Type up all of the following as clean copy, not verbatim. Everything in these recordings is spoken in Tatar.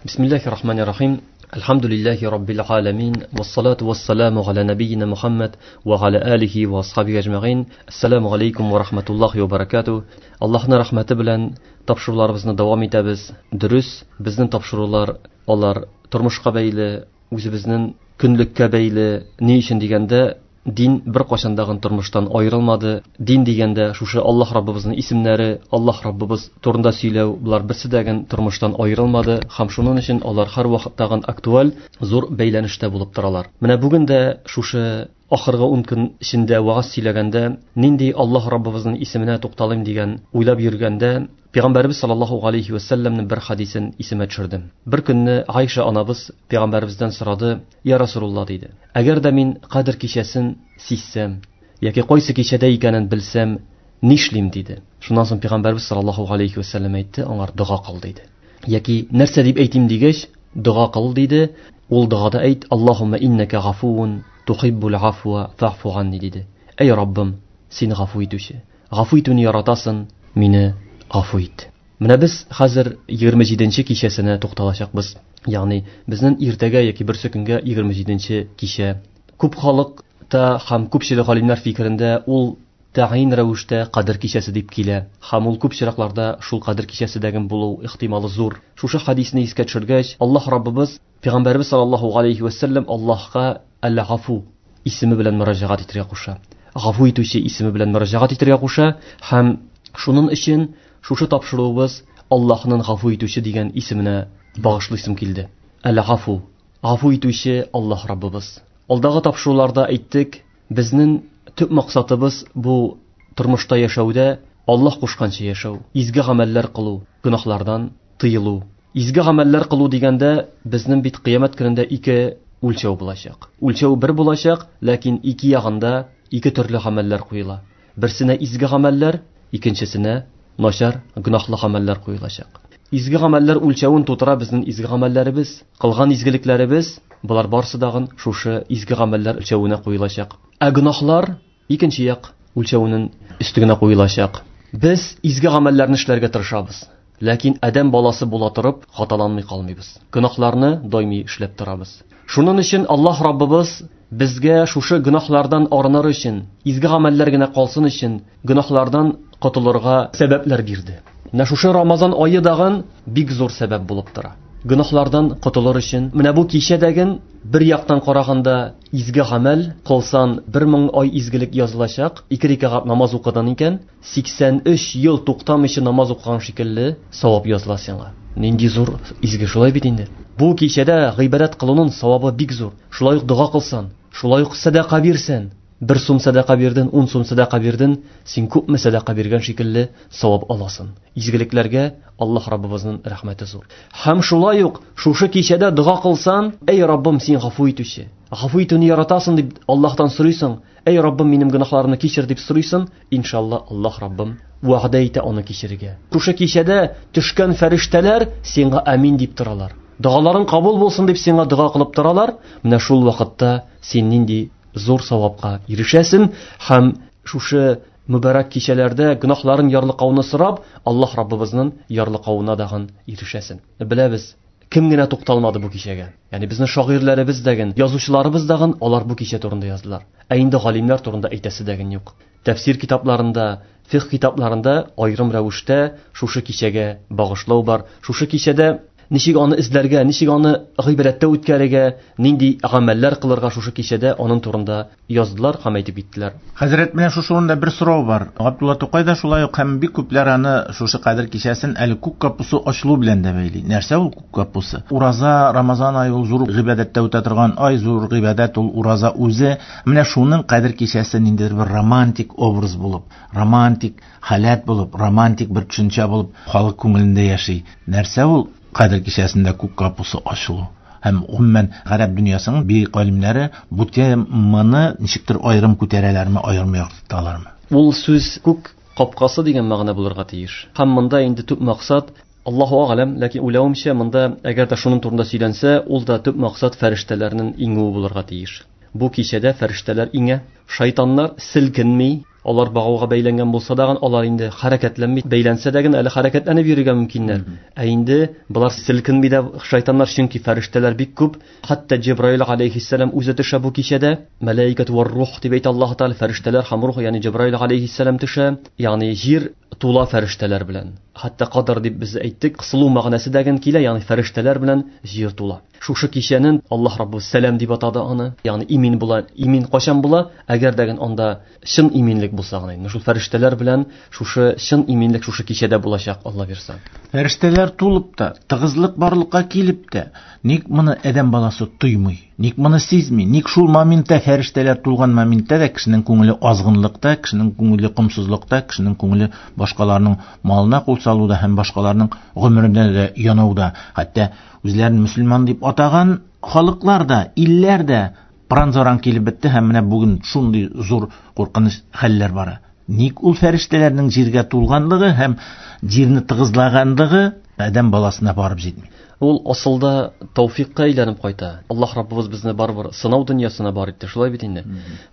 Бисмиллахи рахмани рахим. Әлхәмдүлилләһи раббил аламин. Вассалату вассаламу аля набийина Мухаммад ва аля алихи ва асхабихи әҗмәгыйн. Ассаламу алейкум ва рахматуллахи ва баракатуh. Аллаһның рәхмәте белән тапшыруларыбызны дәвам итәбез. Дөрес, безнең тапшырулар алар тормышка бәйле, үзебезнең көнлеккә бәйле. Ни өчен дигәндә, дин бер кашандагын тормыштан аерылмады. Дин дигәндә шушы Аллаһ Раббыбызның исемнәре, Аллаһ Раббыбыз турында сөйләү, булар берсе дәген тормыштан аерылмады һәм шуның өчен алар һәр вакыттагын актуаль, зур бәйләнештә булып торалар. Менә бүген дә шушы ахыргы 10 көн эчендә вагаз сөйләгәндә, нинди Аллаһ Раббыбызның исеменә тукталыйм дигән уйлап йөргәндә, Пәйгамбәрбез саллаллаһу алейхи ва сәлләмнең бер хадисен исемә төшердем. Бер көнне Айша анабыз пәйгамбәребездән сорады: "Я Расулулла", диде. "Әгәр дә мин Кадр кичәсен сизсәм, яки кайсы кичәдә икәнен белсәм, нишлим?" диде. Шуннан соң пәйгамбәрбез саллаллаһу алейхи ва сәлләм әйтте: "Аңар дога кыл", диде. Яки нәрсә дип әйтим дигәч, дога кыл диде. Ул догада әйт: "Аллаһумма иннака гафуун тухиббул афва фаъфу анни" диде. Әй Раббым, син гафу итүче. Гафу итүне яратасың, мине гафу ит. Менә без хәзер 27-нче кичәсенә тукталачакбыз. Ягъни безнең иртәгә яки берсе көнгә 27-нче кичә. Күп халыкта һәм күпчелек галимнәр фикерендә ул тәгъин рәвештә Кадер кичәсе дип килә. Һәм ул күп чиракларда шул Кадер кичәседәген булу ихтималы зур. Шушы хадисне искә төшергәч, Аллаһ Раббыбыз Пәйгамбәрбез саллаллаһу алейхи ва сәлләм Аллаһка Әл-Гафу исеме белән мөрәҗәгать итәргә куша. Гафу итүче исеме белән мөрәҗәгать итәргә куша һәм шуның өчен шушы тапшыруыбыз Аллаһның гафу итүче дигән исеменә багышлыйсым килде. Әл-Гафу, гафу итүче Аллаһ Раббыбыз. Алдагы тапшыруларда әйттек, безнең төп максатыбыз бу тормышта яшәүдә Аллаһ кушканча яшәү, изге гамәлләр кылу, гөнаһлардан тыелу. Изге гамәлләр кылу дигәндә, безнең бит кыямәт көнендә ике үлчәү булачак. Үлчәү бер булачак, ләкин ике ягында ике төрле гамәлләр куела. Берсенә изге гамәлләр, икенчесенә начар, гөнаһлы гамәлләр куелачак. Изге гамәлләр үлчәвен тутыра безнең изге гамәлләребез, кылган изгелекләребез, болар барысы дагын шушы изге гамәлләр үлчәвенә куелачак. Ә гөнаһлар икенче як үлчәвенең өстегенә куелачак. Без изге гамәлләрне эшләргә тырышабыз. Ләкин адәм баласы була торып, хаталанмый калмыйбыз. Гөнаһларны даими эшләп торабыз. Шуның өчен Аллаһ Раббыбыз безгә шушы гөнаһлардан арыныр өчен, изге гамәлләр генә калсын өчен, гөнаһлардан котылырга сәбәпләр бирде. Менә шушы Рамазан ае дагын бик зур сәбәп булып тора. Гөнаһлардан котылыр өчен, менә бу кичәдәген бер яктан караганда изге гамәл кылсан, 1000 ай изгелек язылачак, ике рәкәгать намаз укыдың икән, 83 ел туктамыйча намаз укыган шикелле савап языла сиңа. Нинди зур изге, шулай бит инде. Бу кичәдә гыйбадәт кылуның савабы бик зур. Шулай ук дога кылсан, шулай ук сәдака бирсән, 1 сум сәдака бирдең, 10 сум сәдака бирдең, син күпме сәдака биргән шикелле савап аласың. Изгелекләргә Аллаһ Раббыбызның рәхмәте зур. Һәм шулай ук шушы кичәдә дога кылсан, әй Раббым, син гафу итүче. Гафу итүне яратасың дип Аллаһтан сорыйсың, әй Раббым, минем гөнаһларымны кичер дип сорыйсың, иншалла Аллаһ Раббым вәгъдә итә аны кичерергә. Шушы кичәдә төшкән фәрештәләр сиңа амин дип торалар. Догаларың кабул булсын дип сиңа дога кылып торалар. Менә шул вакытта син нинди зур савапка ирешәсең һәм шушы мөбарәк кичәләрдә гөнаһларын ярлыкауны сорап, Аллаһ Раббыбызның ярлыкауына дагын ирешәсең. Беләбез, кем генә тукталмады бу кичәгә. Ягъни безнең шагыйрьләребез дәген, язучыларыбыз дагын алар бу кичә турында яздылар. Ә инде галимнәр турында әйтәсе дәген юк. Тәфсир китапларында, фикх китапларында аерым рәвештә шушы кичәгә багышлау бар. Шушы кичәдә ничек аны эзләргә, ничек аны гыйбадәттә үткәрергә, нинди гамәлләр кылырга шушы кичәдә аның турында яздылар һәм әйтеп киттеләр. Хәзрәт, менә шушы урында бер сорау бар. Габдулла Тукай да шулай ук һәм бик күпләр аны шушы Кадер кичәсен әле күк капусы ачылу белән дә бәйли. Нәрсә ул күк капусы? Ураза, Рамазан ае ул зур гыйбадәттә үтә торган ай, зур гыйбадәт ул ураза үзе. Менә шуның Кадер кичәсе ниндидер бер романтик образ булып, романтик халәт булып, романтик бер төшенчә булып халык күңелендә яши. Нәрсә ул Кадер кичәсендә күк капусы ачылу? Һәм гомумән гарәп дөньясының бөек галимнәре бу теманы ничектер аерым күтәрәләрме, аерым яктырталармы? Ул сүз күк капкасы дигән мәгънә булырга тиеш. Һәм монда инде төп максат, Аллаһу агаләм, ләкин уйлавымча, монда әгәр дә шуның турында сөйләнсә, ул да төп максат фәрештәләрнең иңүе булырга тиеш. Бу кичәдә фәрештәләр иңә, шайтаннар селкенми. Алар багауга бәйләнгән булса дагын, алар инде хәрәкәтләнми, бәйләнсә дә әле хәрәкәтләнеп йөрергә мөмкиннәр. Ә инде болар селкенми дә шайтаннар, чөнки фәрештәләр бик күп. Хәтта Җибраил алейхиссалам үзе төшә бу кичәдә. Мәләикәт вар рух дип әйтә Аллаһ Тәгалә, фәрештәләр һәм рух, ягъни Җибраил алейхиссалам төшә, ягъни җир тула фәрештәләр белән. Хәтта кадр дип без әйттек, кысылу мәгънәсе дә килә, ягъни фәрештәләр белән җир тула. Шушы кичәнен Аллаһ Раббы сәлам дип атады аны. Ягъни имин була. Имин кайчан була? Әгәр дә анда чын иминлек булса гына. Менә шул фәрештәләр белән шушы чын иминлек шушы кичәдә булачак, Алла бирса. Фәрештәләр тулып та, тыгызлык барлыкка килеп тә, ник моны адәм баласы тоймый? Ник моны сизми? Ник шул моментта, фәрештәләр тулган моментта да кешенең күңеле азгынлыкта, кешенең күңеле комсызлыкта, кешенең күңеле башкаларның малына кул салуда һәм башкаларның гомеренә дә янауда. Хәтта үзләрен мөселман дип атаган халыклар да, илләр дә пыран-заран килеп бетте һәм менә бүген шундый зур куркыныч хәлләр бара. Ник ул фәрештәләрнең җиргә тулганлыгы һәм җирне тыгызлаганлыгы адәм баласына барып җитми? Ул асылда тәүфикка әйләнеп кайта. Аллаһ Раббыбыз безне барыбер сынау дөньясына бар итте, шулай бит инде.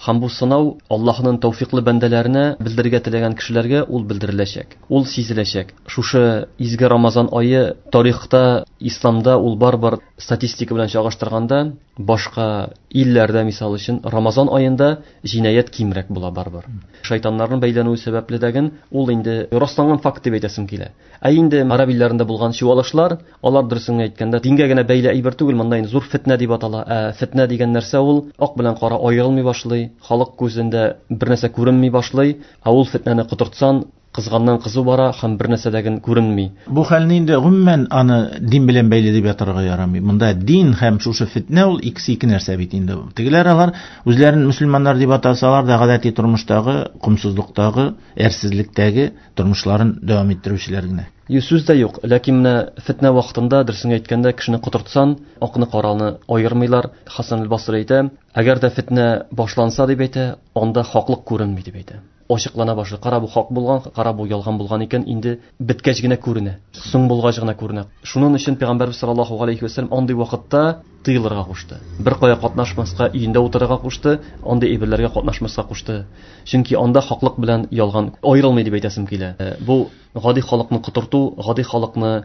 Һәм бу сынау Аллаһның тәүфиклы бәндәләренә, белдерергә теләгән кешеләргә ул белдереләчәк, ул сизеләчәк. Шушы изге Рамазан ае тарихта, исламда ул барыбер статистика белән чагыштырганда, башка илләрдә, мисал өчен, Рамазан аенда җинаять кимрәк була барыбер. Шайтаннарның бәйләнүе сәбәпле дәген ул инде расланган факт дип әйтәсем килә. Ә инде араб илләрендә булган чуалышлар, алар дөресен әйткәндә дингә генә бәйле әйбер түгел, монда инде зур фетнә дип атала. Ә фетнә дигән нәрсә ул ак белән кара аерылмый башлый, халык күзендә бер нәрсә күренми башлый, ә ул фетнәне котыртсан, кызганнан кызу бара һәм бер нәрсә дә күренми. Бу хәлне инде гомумән аны дин белән бәйле дип ятарга ярамый. Монда дин һәм шушы фетнә ул икесе ике нәрсә бит инде. Тегеләр алар үзләрен мөселманнар дип атасалар да гадәти тормыштагы, комсызлыктагы, әрсезлектәге тормышларын дәвам иттерүчеләр генә. Сүз дә юк, ләкин менә фетнә вакытында, дөресен әйткәндә, кешене котыртсан, акны караны аермыйлар. Хасан аль-Басри әйтә, әгәр дә фетнә башланса дип әйтә, анда хаклык күренми дип әйтә. Ачыклана башлый. Кара бу хак булган, кара бу ялган булган икән, инде беткәч генә күренә. Соң булгач гына күренә. Шуның өчен Пәйгамбәрбез саллаллаһу алейхи ва сәлләм андый вакытта тыелырга кушты. Бер кая катнашмаска, өендә утырырга кушты, андый әйберләргә катнашмаска кушты. Чөнки анда хаклык белән ялган аерылмый дип әйтәсем килә. Бу гади халыкны котырту, гади халыкны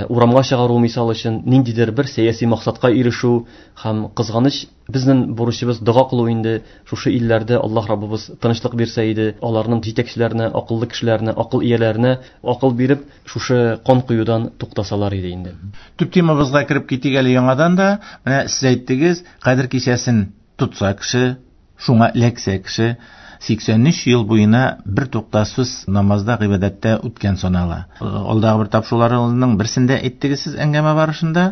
урамга чыгару мисал өчен ниндидер бер сәяси максатка ирешү һәм кызганыч. Безнең бурычыбыз дога кылу инде. Шушы илләрдә Аллаһ Раббыбыз тынычлык бирсә иде, аларның җитәкчеләренә, акыллы кешеләренә, акыл ияләренә акыл биреп, шушы кан коюдан туктасалар иде инде. Төп темабызга кереп китик әле яңадан да. Менә сез әйттегез, Кадер кичәсен тотса кеше, шуңа эләксә кеше, 83 ел буена бер туктаусыз намазда, гыйбадәттә үткән санала. Алдагы бер тапшыруларының берсендә әйттегез сез әңгәмә барышында,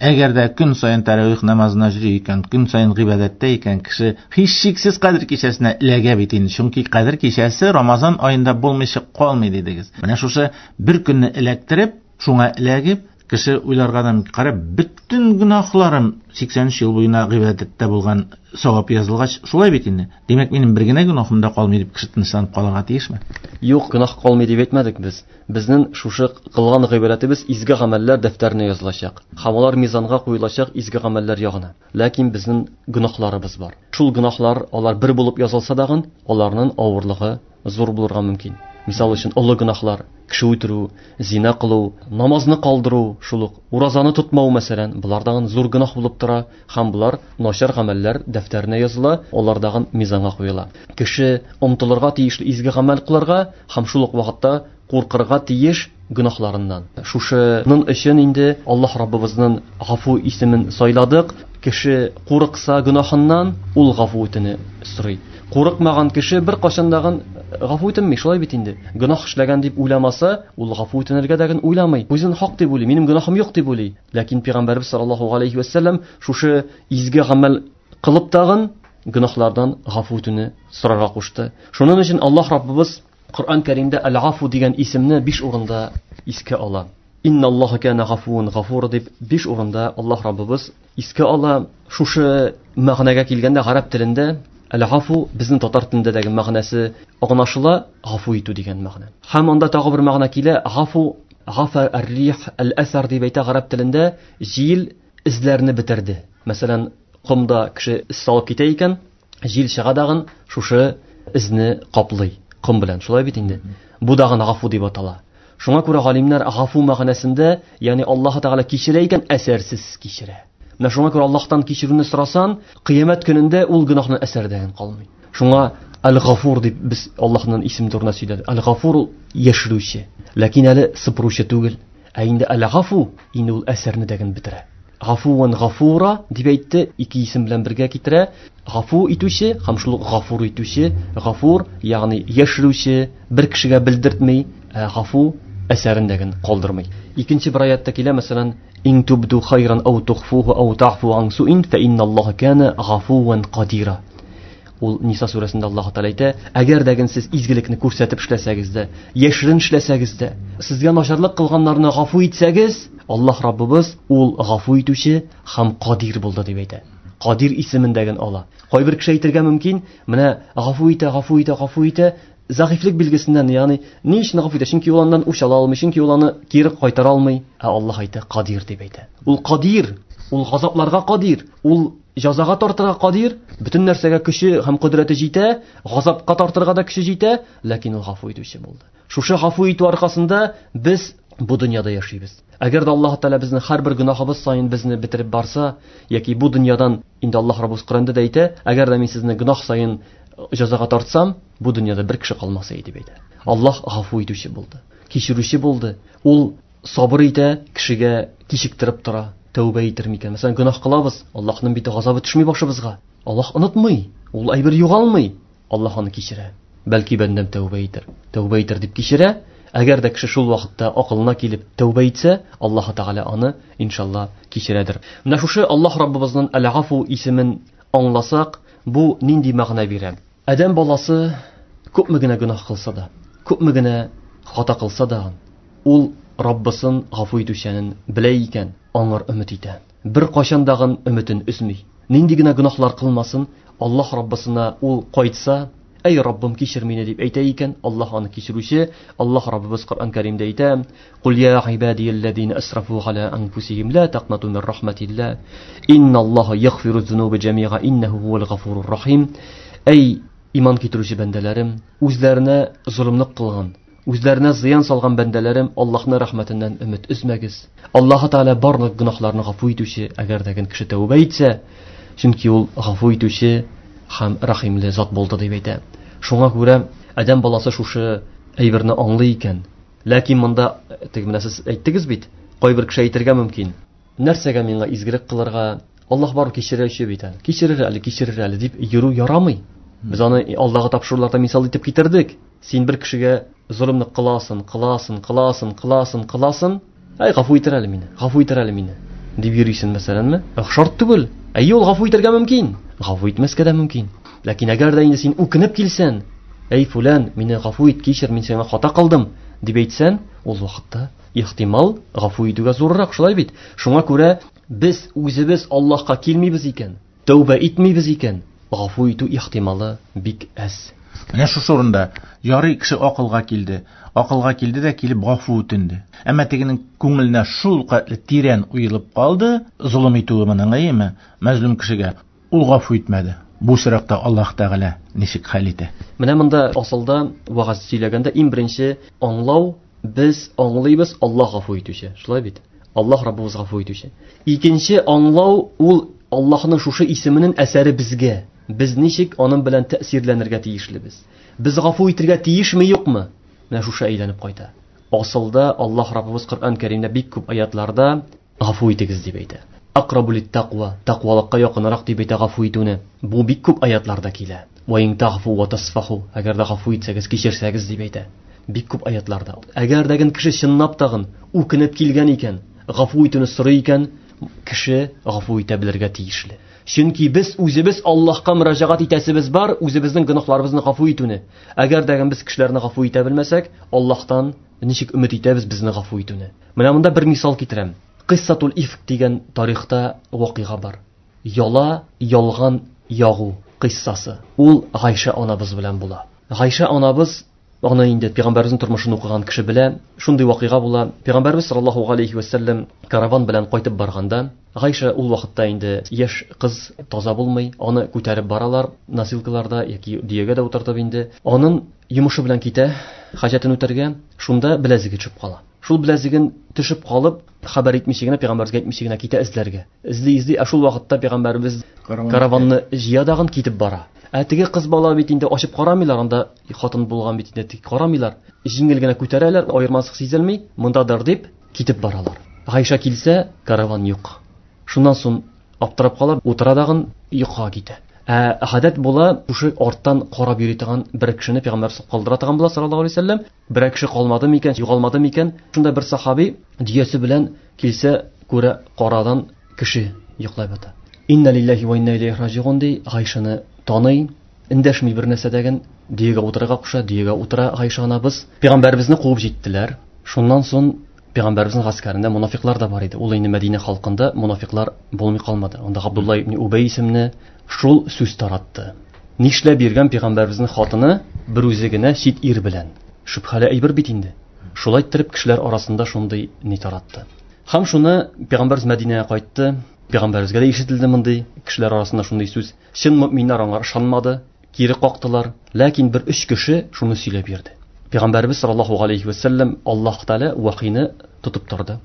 әгәр дә көн саен тәравих намазына йөри икән, көн саен гыйбадәттә икән кеше, һичшиксез Кадер кичәсенә эләгә бит инде. Чөнки Кадер кичәсе Рамазан аенда булмыйча калмый дидегез. Менә шушы бер көнне эләктереп, шуңа эләгеп, кеше уйларга да мөмкин. Кара, бөтен гөнаһларым 83 ел буена гыйбадәттә булган савап язылгач, шулай бит инде. Димәк, минем бер генә гөнаһым да калмый дип кеше тынычланып калырга тиешме? Юк, гөнаһ калмый дип әйтмәдек без. Безнең шушы кылган гыйбадәтебез изге гамәлләр дәфтәренә язылачак. Һәм алар мизанга куелачак изге гамәлләр ягына. Ләкин безнең гөнаһларыбыз бар. Шул гөнаһлар алар бер булып язылса дагын, аларның авырлыгы зур булырга мөмкин. Мисал өчен, олы гөнаһлар, кеше үтерү, зина кылу, намазны калдыру, шул ук уразаны тотмау мәсәлән, булар дагын зур гөнаһ булып тора һәм булар начар гамәлләр дәфтәренә языла, алар дагын мизанга куела. Кеше омтылырга тиешле изге гамәл кылырга һәм шул ук вакытта куркырга тиеш гөнаһларыннан. Шушының өчен инде Аллаһ Раббыбызның Гафу исемен сайладык. Кеше курыкса гөнаһыннан, ул гафу үтене сорый. Курыкмаган кеше бер кашан дагын гафу үтенми, шулай бит инде. Гөнаһ эшләгән дип уйламаса, ул гафу үтенергә дә уйламый. Үзен хак дип уйлый, минем гөнаһым юк дип уйлый. Ләкин Пәйгамбәрбез саллаллаһу алейхи ва сәлләм шушы изге гамәл кылып тагын гөнаһлардан гафу үтүне сорарга кушты. Шуның өчен Аллаһ Раббыбыз Коръән Кәримдә Әл-Гафу дигән исемне 5 урында искә ала. Инналлаһа кана гафуун гафура дип 5 урында Аллаһ Раббыбыз искә ала. Шушы мәгънәгә килгәндә гарәп телендә Әл-Гафу безнең татар телендәге мәгънәсе аңлашыла, гафу итү дигән мәгънә. Һәм анда тагы бер мәгънә килә, гафу, гафа ар-рих аль-асар дип әйтә гарәп телендә, җил эзләрне бетерде. Мәсәлән, комда кеше эз салып китә икән, җил чыга дагын шушы эзне каплый. Ком белән, шулай бит инде. Бу дагын гафу дип атала. Шуңа күрә галимнәр гафу мәгънәсендә, ягъни Аллаһ Тәгалә кичерә икән, әсәрсез кичерә. Менә шуңа күрә Аллаһтан кичерүне сорасан, кыямәт көнендә ул гөнаһның әсәрдән калмый. Шуңа Әл-Гафур дип без Аллаһның исеме турында сөйләдек. Әл-Гафур ул яшерүче, ләкин әле сыпыручы түгел. Ә инде Әл-Гафу инде ул әсәрне дәген бетерә. Гафуан Гафура дип әйтте, ике исем белән бергә китерә. Гафу итүче һәм шул гафур итүче, гафур, ягъни яшерүче, бер кешегә белдертми, ә гафу әсәрен дәген калдырмый. Икенче бер аятта килә, мәсәлән, Ин тубду хайран ау тухфуху ау та'фу ан суин фа инналлаһа кана гафуан кадира. Ул Ниса сүрәсендә Аллаһ Тәгалә әйтә, әгәр дә сез изгелекне күрсәтеп эшләсәгез дә, яшерен эшләсәгез дә, сезгә начарлык кылганнарны гафу итсәгез, Аллаһ Раббыбыз ул гафу итүче һәм кадир булды дип әйтә. Кадир исемендәген ала. Кайбер кеше әйтергә мөмкин, менә гафу итә, гафу итә, гафу итә, зәгыйфьлек билгесеннән, ягъни ни өчен гафу итә? Чөнки ул аннан үч ала алмый, чөнки ул аны кире кайтара алмый. Ә Аллаһ әйтә, кадир дип әйтә. Ул кадир, ул газапларга кадир, ул җәзага тартырга кадир, бөтен нәрсәгә көче һәм кодрәте җитә, газапка тартырга да көче җитә, ләкин ул гафу итүче булды. Шушы гафу итү аркасында без бу дөньяда яшибез. Әгәр дә Аллаһ Тәгалә безне һәрбер гөнаһыбыз саен безне бетереп барса, яки бу дөньядан инде Аллаһ Раббыбыз Коръәндә дә әйтә, әгәр дә мин сезне гөнаһ саен җәзага тартсам, бу дөньяда бер кеше калмас иде дип әйтә. Аллаһ гафу итүче булды, кичерүче булды. Ул сабыр итә, кешегә кичектереп тора, тәүбә итер микән? Мәсәлән, гөнаһ кылабыз, Аллаһның бит газабы төшми башыбызга. Аллаһ онытмый, ул әйбер югалмый. Аллаһ аны кичерә. Бәлки бәндәм тәүбә итер. Тәүбә итер дип кичерә. Әгәр дә кеше шул вакытта акылына килеп тәүбә итсә, Аллаһ Тәгалә аны иншалла кичерәдер. Менә шушы Аллаһ Раббыбызның Әл-Гафу исемен аңласак, бу нинди мәгънә бирә? Адәм баласы күпме генә гөнаһ кылса да, күпме генә хата кылса да, ул Раббысын гафу итүчәнен белә икән, аңар өмет итә. Бер кайчан дагын өметен өзми. Нинди генә гөнаһлар кылмасын, Аллаһ Раббысына ул кайтса, әй Раббым, кичер мине дип әйтә икән, Аллаһ аны кичерүче. Аллаһ Раббыбыз Коръән Кәримдә әйтә: "Кул я гыйбадиялләзина асрафу аля анфусихим ла тaqнату мин рахматилла. Инналлаһа ягфиру зунуба җамиа иннаху хувал гафурур рахим." Әй иман китерүче бәндәләрем, үзләренә золымлык кылган, үзләренә зыян салган бәндәләрем, Аллаһның рәхмәтеннән өмет өзмәгез. Аллаһ Тәгалә барлык гөнаһларны гафу итүче, әгәр дә кеше тәүбә итсә, чөнки ул гафу итүче һәм рәхимле зат булды дип әйтә. Шуңа күрә адәм баласы шушы әйберне аңлый икән. Ләкин монда теге менә сез әйттегез бит, кайбер кеше әйтергә мөмкин. Нәрсәгә миңа изгелек кылырга? Аллаһ бар кичерүче бит әле. Кичерер әле, кичерер әле дип йөрү ярамый. Без аны алдагы тапшыруларда мисал итеп китердек. Син бер кешегә золымлык кыласың, кыласың, кыласың, кыласың, кыласың. Әй, гафу итер әле мине, гафу итер әле мине дип йөрисең, мәсәләнме? Шарт түгел. Әйе, ул гафу итәргә мөмкин, гафу итмәскә дә мөмкин. Ләкин әгәр дә инде син үкенеп килсән, әй фүлән, мине гафу ит, кичер, мин сиңа хата кылдым, дип әйтсән, ул вакытта ихтимал гафу итүгә зуррак, шулай бит? Шуңа күрә без үзебез Аллаһка килмибез икән, тәүбә итмибез икән, гафу итү ихтималы бик әз. Менә шушы урында ярый кеше акылга килде. Акылга килде дә килеп гафу үтенде. Әмма тегенең күңеленә шул кадәр тирән уелып калды, золым итүе моның, әйеме, мәзлум кешегә. Ул гафу итмәде. Бу очракта Аллаһ Тәгалә ничек хәл итә? Менә монда асылда вәгазь сөйләгәндә иң беренче аңлау, без аңлыйбыз Аллаһ гафу итүче. Шулай бит? Аллаһ Раббыбыз гафу итүче. Икенче аңлау ул Аллаһның шушы исеменең әсәре безгә. Без ничек аның белән тәэсирләнергә тиешлебез? Без гафу итергә тиешме, юкмы? Менә шушы әйләнеп кайта. Асылда Аллаһ Раббыбыз Коръән Кәримдә бик күп аятларда гафу итегез дип әйтә. Акрабу литтаква, тәкъвалыкка якынрак дип әйтә гафу итүне. Бу бик күп аятларда килә. Ва ин тагфу ва тасфаху, әгәр дә гафу итсәгез, кичерсәгез дип әйтә. Бик күп аятларда. Әгәр дә кеше чынлап тагын үкенеп килгән икән, гафу итүне сорый икән, кеше гафу итә белергә тиешле. Чөнки без үзебез Аллаһка мөрәҗәгать итәсебез бар, үзебезнең гөнаһларыбызны гафу итүне. Әгәр дә без кешеләрне гафу итә белмәсәк, Аллаһтан ничек өмет итәбез безне гафу итүне? Менә монда бер мисал китерәм. Кыссатул Ифк дигән тарихта вакыйга бар. Яла, ялган ягу кыссасы. Ул Гайшә анабыз белән була. Гайшә анабыз Аны инде пәйгамбәребезнең тормышын укыган кеше белә. Шундый вакыйга була. Пәйгамбәребез саллаллаһу алейхи ва сәлләм караван белән кайтып барганда, Гайша ул вакытта инде яшь кыз, таза булмый, аны күтәреп баралар носилкаларда яки дөягә дә утыртып инде. Аның йомышы белән китә, хаҗәтен үтәргә, шунда беләзеге төшеп кала. Шул беләзеген төшеп калып, хәбәр итмичә генә, пәйгамбәребезгә әйтмичә генә китә эзләргә. Эзли-эзли, ә шул вакытта пәйгамбәребез караванны җыя дагын китеп бара. Ә теге кыз бала бит инде ачып карамыйлар, анда хатын булган бит инде, тик карамыйлар. Җиңел генә күтәрәләр, аермасы сизелми, мондадыр дип китеп баралар. Гайша килсә, караван юк. Шуннан соң аптырап кала, утыра дагын, йокыга китә. Ә гадәт була, шушы арттан карап йөри торган бер кешене пәйгамбәр калдыра торган була саллаллаһу алейһи вәсәлләм. Берәр кеше калмады микән, югалмады микән? Шунда бер сахаби дөясе белән килсә, күрә карадан кеше йоклап ята. Инна лиллаһи ва инна илейһи раҗиун ди, Гайшаны таный, эндәшми бер нәрсә дәген, дөягә утырырга куша, дөягә утыра Гайша анабыз. Пәйгамбәребезне куып җиттеләр. Шуннан соң пәйгамбәребезнең гаскәрендә мунафиклар да бар иде. Ул инде Мәдинә халкында мунафиклар булмый калмады. Анда Габдулла ибн Убай исемле шул сүз таратты. Нишләп йөргән пәйгамбәребезнең хатыны бер үзе генә чит ир белән? Шөбһәле әйбер бит инде. Шулай иттереп кешеләр арасында шундый ни таратты. Һәм шуны пәйгамбәребез Мәдинәгә кайтты. Пәйгамбәребезгә дә ишетелде мондый кешеләр арасында шундый сүз. Чын мөминнәр аңа ышанмады, кире кактылар. Ләкин бер өч кеше шуны сөйләп йөрде. Пәйгамбәребез саллаллаһу алейхи ва сәлләм Аллаһ Тәгалә вахины тотып торды.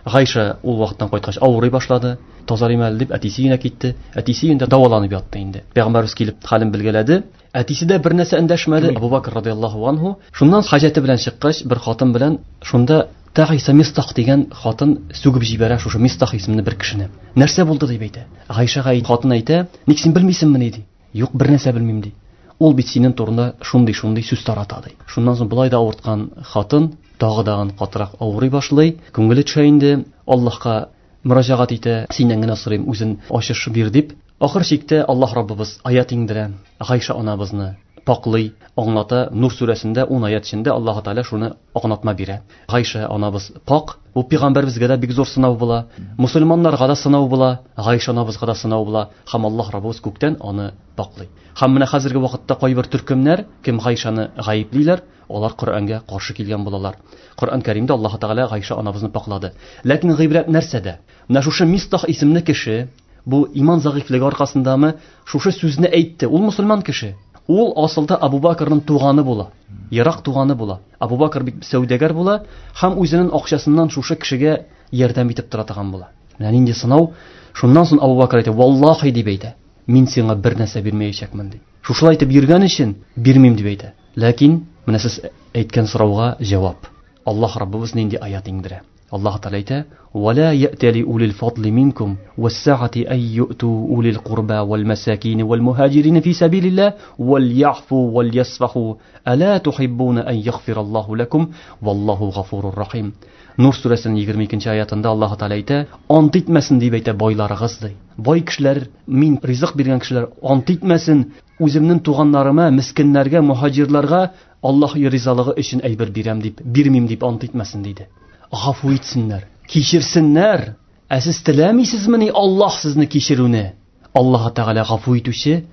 Гайша ул вакыттан кайткач авырый башлады. Тазарыйм әле дип әтисе өенә китте. Әтисе өендә дәваланып ятты инде. Пәйгамбәребез килеп хәлен белгәләде. Әтисе дә бер нәрсә эндәшмәде. Абу Бакр радияллаһу анһу шуннан хаҗәте белән чыккач, бер хатын белән шунда Тагиса Мистах дигән хатын сүгеп җибәрә шушы Мистах исемле бер кешене. Нәрсә булды дип әйтә. Гайшага хатын әйтә, ник син белмисеңмени ди. Юк, бер нәрсә белмим ди. Ул бит синең турында шундый-шундый сүз тарата ди. Шуннан соң болай да авырткан хатын тагы дагын катырак авырый башлый, күңеле төшә инде, Аллаһка мөрәҗәгать итә, синнән генә сорыйм, үзен ачыш бир дип. Ахыр чиктә Аллаһ Раббыбыз аят иңдерә, Гайша анабызны паклый, аңлата. Нур сүрәсендә 10 аят эчендә Аллаһ Тәгалә шуны аңлатма бирә. Гайша анабыз пак, бу пәйгамбәребезгә дә бик зур сынау була, мусульманнарга да сынау була, Гайша анабызга да сынау була, һәм Аллаһ Раббыбыз күктән аны паклый. Һәм менә хәзерге вакытта кайбер төркемнәр, кем Гайшаны гаеплиләр, алар Коръәнгә каршы килгән булалар. Коръән Кәримдә Аллаһ Тәгалә Гайша анабызны паклады. Ләкин гыйбрәт нәрсәдә? Менә шушы Мистах исемле кеше, бу иман зәгыйфьлеге аркасындамы, шушы сүзне әйтте. Ул мусульман кеше. Ул асылда Абу Бакрның туганы була. Ерак туганы була. Абу Бакр бик сәүдәгәр була һәм үзенең акчасыннан шушы кешегә ярдәм итеп тора торган була. Менә нинди сынау. Шуннан соң Абу Бакр әйтә, "Валлахи" дип әйтә. Мин сиңа бер нәрсә бирмәячәкмен ди. Шушылай итеп йөргән өчен бирмим дип әйтә. Ләкин менә сез әйткән сорауга җавап. Аллаһ Раббыбыз нинди аят иңдерә? Аллаһ Тәгалә әйтә: "Ва ла я'тали улил фадли минкум вассаати ай ю'ту улил курба вал масакин вал мухаҗирин фи сабилиллаһ вал я'фу вал ясфаху ала тухиббуна ан яғфираллаһу лакум валлаһу гафурур рахим." Нур сүрәсенең 22 аятында Аллаһ Тәгалә әйтә: "Ант итмәсен дип әйтә байларыгыз ди. Бай кешеләр, мин ризык биргән кешеләр ант итмәсен, үземнең туганнарыма, мискиннәргә, мухаҗирларга Аллаһ ризалыгы өчен әйбер бирәм дип, бирмим дип ант итмәсен диде. Гафу итсеннәр, кичерсеннәр. Ә сез теләмисезмени Аллаһ сезне кичерүне? Аллаһ Тәгалә гафу итүче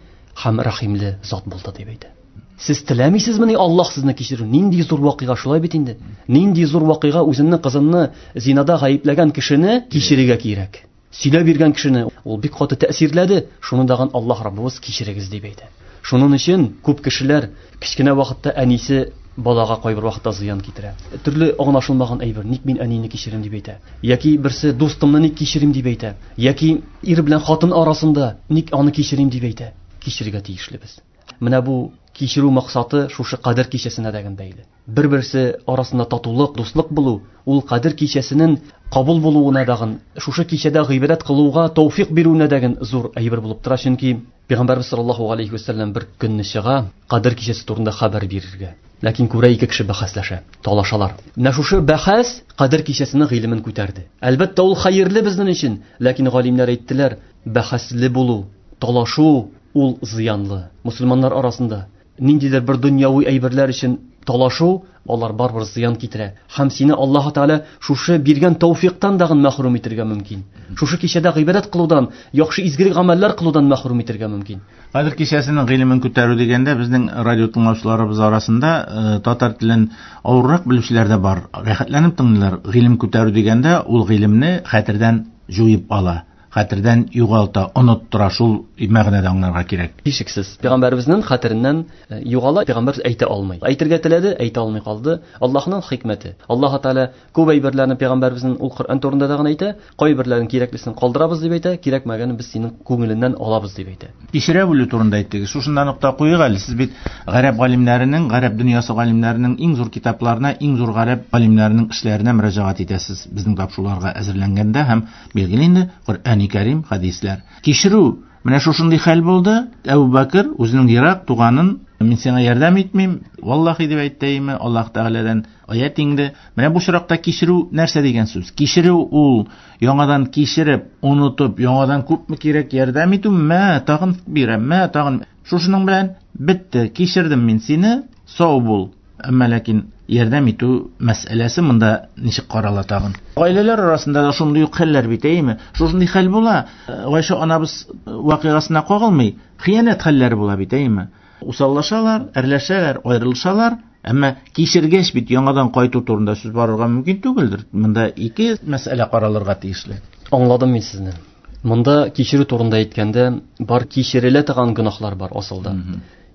һәм рәхимле зат булды дип әйтә. Сез теләмисезмени Аллаһ сезне кичерү? Нинди зур вакыйга шулай бит инде. Нинди зур вакыйга үзеңнең кызыңны зинада гаепләгән кешене кичерергә кирәк. Сөйләп биргән кешене ул бик каты тәэсирләде. Шуны дагын Аллаһ Раббыбыз кичерегез дип әйтә. Шуның өчен күп кешеләр кечкенә вакытта әнисе балага кайбер вакытта зыян китерә. Төрле аңлашылмаган әйбер, ник мин әнине кичерим дип әйтә. Яки берсе дустымны ник кичерим дип әйтә. Яки ир белән хатын арасында ник аны кичерим дип әйтә. Кичерергә тиешлебез. Менә бу кичерү максаты шушы кадер кичәсенә дә бәйле. Бер-берсе арасында татулык, дуслык булу, ул кадер кичәсенең кабул булуына дагын, шушы кичәдә гыйбадәт кылуга тәүфик бирүенә дәген зур әйбер булып тора, чөнки Пәйгамбәрбез саллаллаһу алейхи ва сәлләм бер көнне чыга кадер кичәсе турында хәбәр бирергә. Ләкин күрә ике кеше бәхәсләшә, талашалар. Менә шушы бәхәс кадер кичәсенең гыйлемен күтәрде. Әлбәттә, ул хәерле безнең өчен, ләкин галимнәр әйттеләр, бәхәсле булу, талашу ул зыянлы. Мусульманнар арасында ниндидер бер дөньяви әйберләр өчен талашу, алар барыбер зыян китерә. Һәм сине Аллаһ Тәгалә шушы биргән тәүфиктан дагын мәхрүм итәргә мөмкин. Шушы кичәдә гыйбадәт кылудан, яхшы изгелек гамәлләр кылудан мәхрүм итәргә мөмкин. Кадер кичәсенең гыйлемен күтәрү дигәндә безнең радио тыңлаучыларыбыз арасында татар телен авыррак белүчеләр дә бар. Рәхәтләнеп тыңлыйлар. Гыйлем күтәрү дигәндә ул гыйлемне хәтердән җуеп ала, хәтердән югалта, оныттыра, шул мәгънәдә аңларга кирәк. Һичшиксез. Пәйгамбәребезнең хәтереннән югала, пәйгамбәребез әйтә алмый. Әйтергә теләде, әйтә алмый калды. Аллаһның хикмәте. Аллаһ Тәгалә күп әйберләрне пәйгамбәребезнең ул Коръән турында да гына әйтә, кайберләрен кирәклесен калдырабыз дип әйтә, кирәкмәгәнен без синең күңеленнән алабыз дип әйтә. Кичерә белү турында әйттегез. Шушында нокта куйыйк әле. Сез бит гарәп галимнәренең, гарәп дөньясы галимнәренең иң зур китапларына, иң зур гарәп галимнәренең эшләренә мөрәҗәгать итәсез безнең тапшыруларга әзерләнгәндә һәм билгеле инде Коръәни Кәрим, хәдисләр. Кичерү, менә шушындый хәл булды. Әбу Бәкер үзенең ерак туганын, мин сиңа ярдәм итмим, валлахи дип әйтте, Аллаһ Тәгаләдән аят иңде. Менә бу очракта кичерү нәрсә дигән сүз? Кичерү ул яңадан кичереп, онытып, яңадан күпме кирәк ярдәм итү, мә, тагын бирәм, мә, тагын. Шушының белән бетте, кичердем мин сине, сау бул. Әмма ләкин ярдәм итү мәсьәләсе монда ничек карала тагын? Гаиләләр арасында да шундый ук хәлләр бит, әйеме? Шушындый хәл була. Гайшә анабыз вакыйгасына кагылмый, хыянәт хәлләре була бит, әйеме? Усаллашалар, әрләшәләр, аерылышалар. Әмма кичергәч бит яңадан кайту турында сүз барырга мөмкин түгелдер. Монда ике мәсьәлә каралырга тиешле. Аңладым мин сезне. Монда кичерү турында әйткәндә, бар кичерелә торган гөнаһлар бар асылда.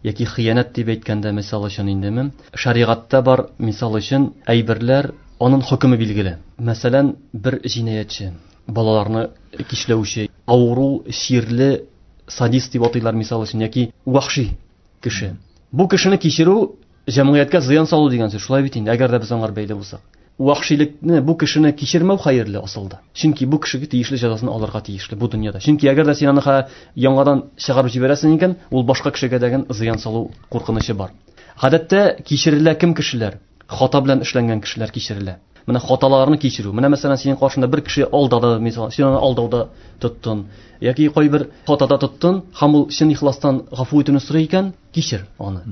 Яки хыянәт дип әйткәндә, мисал өчен индеме, шәригатьтә бар, мисал өчен, әйберләр, аның хөкеме билгеле. Мәсәлән, бер җинаятьче, балаларны кичләүче, авыру, чирле, садист дип атыйлар, мисал өчен, яки вахши кеше. Бу кешене кичерү җәмгыятькә зыян салу дигән сүз, шулай бит инде, әгәр дә без аңар бәйле булсак. Вахшилекне, бу кешене кичермәү хәерле асылда. Чөнки бу кешегә тиешле җәзасын алырга тиешле бу дөньяда. Чөнки әгәр дә син аны яңадан чыгарып җибәрәсең икән, ул башка кешегә дә зыян салу куркынычы бар. Гадәттә кичерелә кем кешеләр? Хата белән эшләнгән кешеләр кичерелә. Менә хаталарны кичерү. Менә мәсәлән, синең каршында бер кеше алдады, мисал, син аны алдауда тоттың, яки кайбер хатада тоттың, һәм ул чын ихластан гафу итүне сорый икән, кичер аны.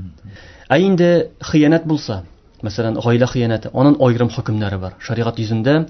Ә инде хыянәт булса, мәсәлән, гаилә хыянәте, аның аерым хөкемнәре бар. Шәригать йөзендә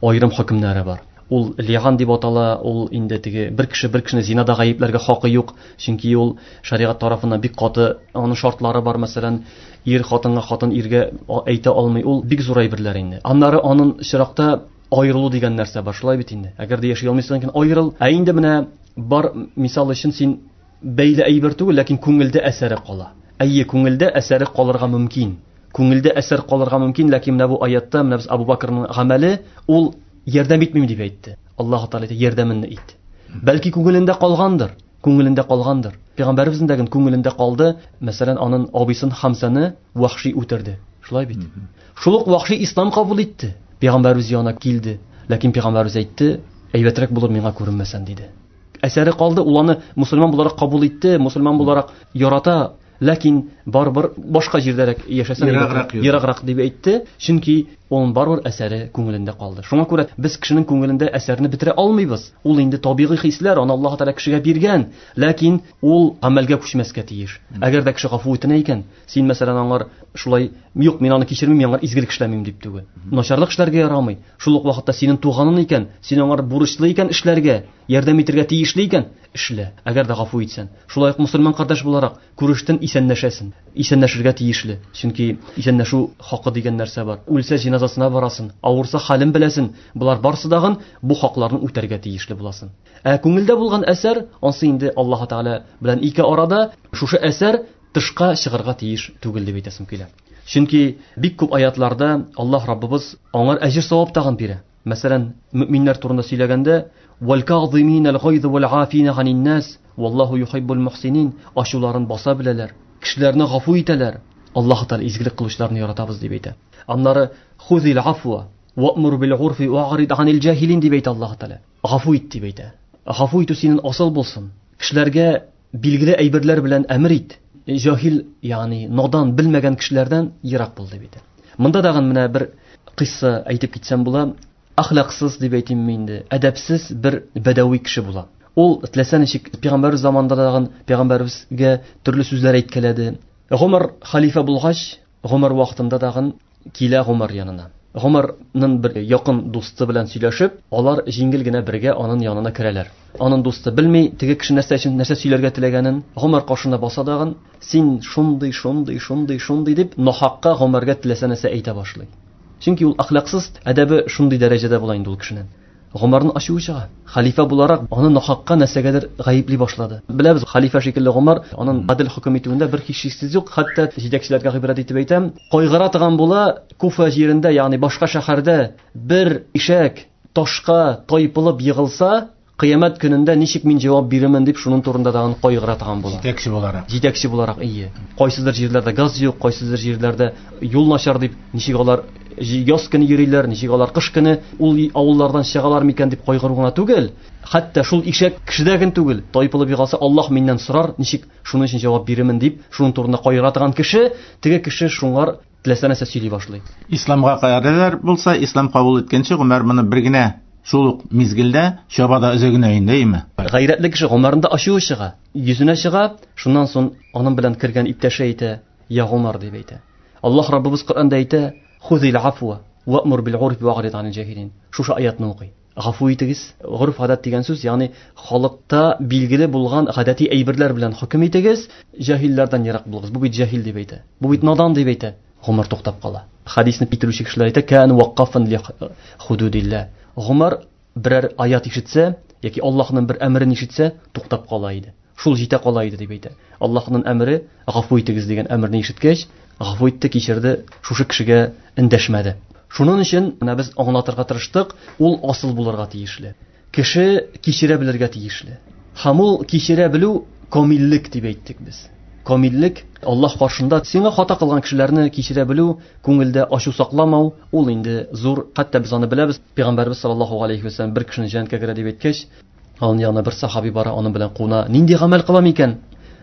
аерым хөкемнәре бар. Ул лиан дип атала, ул инде теге бер кеше бер кешене зинада гаепләргә хакы юк, чөнки ул шәригать тарафыннан бик каты аның шартлары бар, мәсәлән, ир хатынга, хатын иргә әйтә алмый. Ул бик зур әйберләр инде. Аннары аның чиракта аерылу дигән нәрсә бар, шулай бит инде. Әгәр дә яши алмыйсың икән, аерыл. Ә инде менә бар, мисал өчен, син бәйле әйбер түгел, ләкин күңелдә әсәре кала. Әйе, күңелдә әсәре калырга мөмкин. Күңелдә әсәр калырга мөмкин, ләкин менә бу аятта менә без Абу Бакрның гамәле, ул ярдәм итмим дип әйтте. Аллаһ Тәгалә әйтә, ярдәмеңне ит. Бәлки күңелендә калгандыр, күңелендә калгандыр. Пәйгамбәребезнең дә күңелендә калды, мәсәлән, аның абыйсын Хамзаны Вахши үтерде. Шулай бит. Шул ук Вахши ислам кабул итте. Пәйгамбәребез янына килде. Ләкин пәйгамбәребез әйтте, әйбәтрәк булыр миңа күренмәсән, диде. Әсәре калды, ул аны мусульман буларак кабул итте, мусульман буларак ярата, ләкин барыбер башка җирдәрәк яшәсәң, ераграк дип әйтте, чөнки оның барыбер әсәре күңелендә калды. Шуңа күрә без кешенең күңелендә әсәрне бетерә алмыйбыз. Ул инде табигый хисләр, аны Аллаһ Тәгалә кешегә биргән, ләкин ул гамәлгә күчмәскә тиеш. Әгәр дә кеше гафу итенә икән, син мәсәлән аңар шулай, юк, мин аны кичермим, мин аңар изгелек эшләмим дип түгел. Начарлык эшләргә ярамый. Шул ук вакытта синең туганың икән, син аңар бурычлы икән эшләргә, ярдәм итәргә тиешле икән, эшлә. Әгәр дә гафу итсән. Шулай ук мусульман кардәш буларак күрештен исәнләшәсен. Исәнләшергә тиешле. Чөнки исәнләшү хакы дигән нәрсә бар. Үлсә җиназасына барасың, авырса хәлен беләсен. Болар барсы дагын бу хакларны үтәргә тиешле буласың. Ә күңелдә булган әсәр, ансы инде Аллаһ Тәгалә белән ике арада шушы әсәр тышка чыгарга тиеш түгел дип әйтәсем килә. Чөнки бик күп аятларда Аллаһ Раббыбыз аңар әҗер савап тагын бирә. Мәсәлән, мөминнәр турында сөйләгәндә, вәл каъзиминал гайз вәл афина анин нас, валлаһу юхиббул мухсинин, ачуларын баса беләләр, кешеләрне гафу итәләр. Аллаһ Тәгалә изгелек кылучыларны яратабыз дип әйтә. Аннары хузил афва ва'мур бил урфи ва'рид анил җаһилин дип әйтә Аллаһ Тәгалә. Гафу ит дип әйтә. Гафу итү синең асыл булсын. Кешеләргә билгеле әйберләр белән әмер ит. Җаһил, ягъни надан, белмәгән кешеләрдән ерак бул дип әйтә. Монда тагын менә бер кыйсса әйтеп китсәм була. Ахлаксыз дип әйтимме инде, әдәпсез бер бәдәви кеше була. Ул теләсә ничек пәйгамбәрбез заманында тагын пәйгамбәребезгә төрле сүзләр әйткәләде. Гомар халифа булгач, Гомар вакытында тагын килә Гомар янына. Гомарның бер якын дусты белән сөйләшеп, алар җиңел генә бергә аның янына керәләр. Аның дусты белми, теге кеше нәрсә өчен нәрсә сөйләргә теләгәнен. Гомар каршына баса тагын, син шундый, шундый, шундый, шундый дип, нахакка Гомарга теләсә нәрсә әйтә башлый. Чөнки ул әхлаксыз, әдәбе шундый дәрәҗәдә була инде ул кешенең. Гомарның ачуы чыга. Хәлифә буларак аны нахакка нәрсәгәдер гаепли башлады. Беләбез, хәлифә шикелле Гомар аның гадел хөкем итүендә бер һичшиксез юк. Хәтта җитәкчеләргә гыйбрәт итеп әйтәм, кайгыра торган була, Куфа җирендә, ягъни башка шәһәрдә бер ишәк ташка тайпылып егылса, кыямәт көнендә ничек мин җавап бирермен дип шуның турында тагын кайгыра торган була. Җитәкче буларак. Җитәкче буларак, ие. Кайсыдыр җирләрдә газ юк, кайсыдыр җирләрдә юл начар дип, ничек алар яз көне йөриләр, ничек алар кыш көне ул авыллардан чыгалар микән дип кайгыру гына түгел. Хәтта шул ишәк кешедә генә түгел, тайпылып егылса, Аллаһ миннән сорар, ничек шуның өчен җавап бирермен дип, шуның турында кайгыра торган кеше, теге кеше шуңар теләсә нәрсә сөйли башлый. Исламга кадәр булса, ислам кабул иткәнче Гомар моны бер генә шул ук мизгелдә чаба да үзе генә инде, әйме? Гайрәтле кеше Гомарның да ачуы чыга, йөзенә чыга, шуннан соң аның белән кергән иптәше әйтә, я Гомар дип әйтә. Аллаһ Раббыбыз Коръәндә әйтә, хузил афва ва'мур бил урфи ва'рид анил җаһилин. Шушы аятны укый. Гафу итегез. Горф гадәт дигән сүз, ягъни халыкта билгеле булган гадәти әйберләр белән хөкем итегез, җаһилләрдән ерак булыгыз. Бу бит җаһил дип әйтә. Бу бит надан дип әйтә. Гомар туктап кала. Хадисне китерүче кешеләр әйтә, кан ваккафан ли худудилла. Гомар берәр аят ишетсә яки Аллаһның бер әмерен ишетсә, туктап кала иде. Шул җитә кала иде дип әйтә. Аллаһның әмере гафу итегез дигән әмерне ишеткәч, гафу итте, кичерде, шушы кешегә эндәшмәде. Шуның өчен менә без аңлатырга тырыштык, ул асыл булырга тиешле. Кеше кичерә белергә тиешле. Һәм ул кичерә белү камиллек дип әйттек без. Камиллек Аллаһ каршында сиңа хата кылган кешеләрне кичерә белү, күңелдә ачу сакламау, ул инде зур, хәтта без аны беләбез. Пәйгамбәрбез саллаллаһу алейхи ва саллям бер кешене җәннәткә керә дип әйткәч, аның янына бер сахаби бара, аның белән куна, нинди гамәл кылам икән